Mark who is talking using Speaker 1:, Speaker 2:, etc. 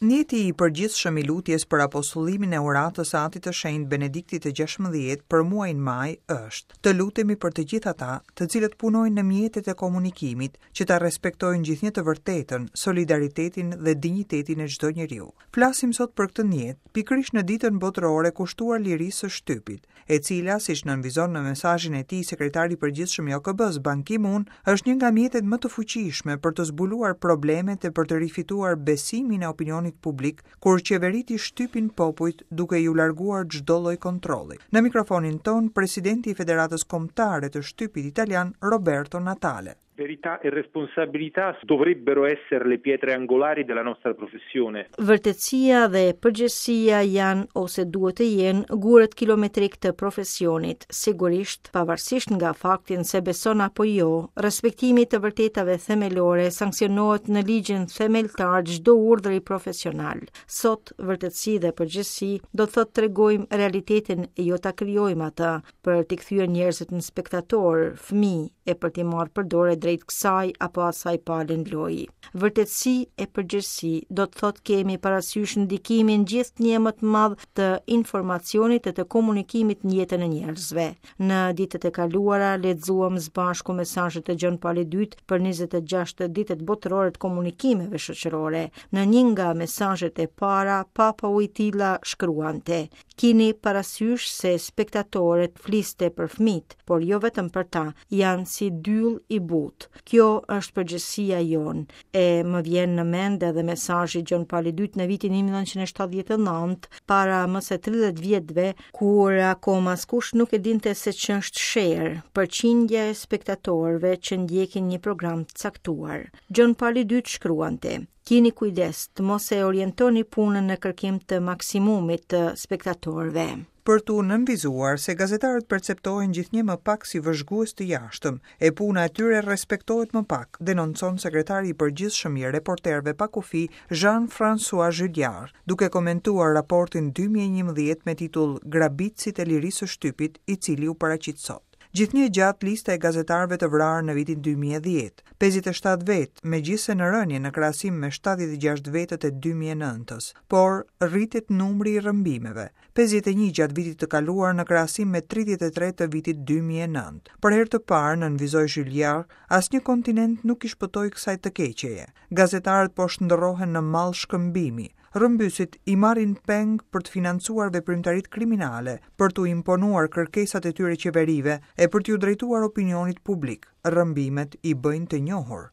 Speaker 1: Nijeti i përgjithshëm i lutjes për apostullimin e uratës së Atit të Shenjtë Benediktit të XVI për muajin maj është, të lutemi për të gjithë ata, të cilët punojnë në mjetet e komunikimit, që ta respektojnë gjithnjë të vërtetën, solidaritetin dhe dinjitetin e çdo njeriu. Flasim sot për këtë nijet, pikërisht në Ditën Botërore kushtuar lirisë së shtypit. e cila, siç nënvizon në mesazhin e tij sekretari i përgjithshëm i OKB-së, Ban Ki-moon, është një nga mjetet më të fuqishme për të zbuluar problemet e për të rifituar besimin e opinionit publik kur qeveritë i shtypin popujt duke iu larguar çdo lloj kontrolli. Në mikrofonin tonë, presidenti i Federatës Kombëtare të Shtypit Italian, Roberto Natale.
Speaker 2: Verità e responsabilità dovrebbero essere le pietre angolari della nostra professione.
Speaker 3: Vërtetësia dhe përgjegjësia janë ose duhet të jenë gurët kilometrikë të profesionit. Sigurisht, pavarësisht nga fakti nëse beson apo jo, respektimi i të vërtetave themelore sanksionohet në ligjin themeltar çdo urdhri profesional. Sot, vërtetësi dhe përgjegjësi do të thotë tregojmë realitetin e jo ta krijojmë atë, për t'i kthyer njerëzit në spektatorë, fëmijë e për t'i marrë për dore drejt kësaj apo asaj pale në lojë. Vërtetësi e përgjegjësi do të thotë kemi parasysh ndikimin gjithnjë më të madh të informacionit e të komunikimit në jetën e njerëzve. Në ditët e kaluara lexuam së bashku mesazhet e Gjon Palit II për 26 ditët botërore të komunikimeve shoqërore. Në një nga mesazhet e para, Papa Wojtyla shkruante: Kini parasysh se spektatorët fliste për fëmijët, por jo vetëm për ta, janë si dyll i butë. Kjo është përgjegjësia jonë. E më vjen në mend edhe mesazhi i Gjon Palit II në vitin 1979, para më se 30 vjetëve, kur akoma askush nuk e dinte se ç'është share, përqindja e spektatorëve që ndjekin një program të caktuar. Gjon Pali II shkruante: Kini kujdes të mos e orientoni punën në kërkim të maksimumit të spektatorëve.
Speaker 1: Për t'u nënvizuar se gazetarët perceptohen gjithnjë më pak si vëzhgues të jashtëm, e puna e tyre respektohet më pak, denoncon sekretari i përgjithshëm i Reporterëve pa Kufij, Jean-François Julliard, duke komentuar raportin 2011 me titull Grabitësit e lirisë së shtypit, i cili u paraqit sot. Gjithnjë e gjatë lista e gazetarëve të vrarë në vitin 2010, 57 vetë, megjithëse në rënie në krahasim me 76 vetët e 2009-ës, por rritet numri i rrëmbimeve, 51 gjatë vitit të kaluar në krahasim me 33 të vitit 2009. Për herë të parë, nënvizoi Julliard, asnjë kontinent nuk i shpëtoi kësaj të keqeje. Gazetarët po shndërrohen në mall shkëmbimi, Rrëmbyesit i marrin peng për të financuar veprimtaritë kriminale, për t'u imponuar kërkesat e tyre qeverive e për t'iu drejtuar opinionit publik. Rrëmbimet i bëjnë të njohur.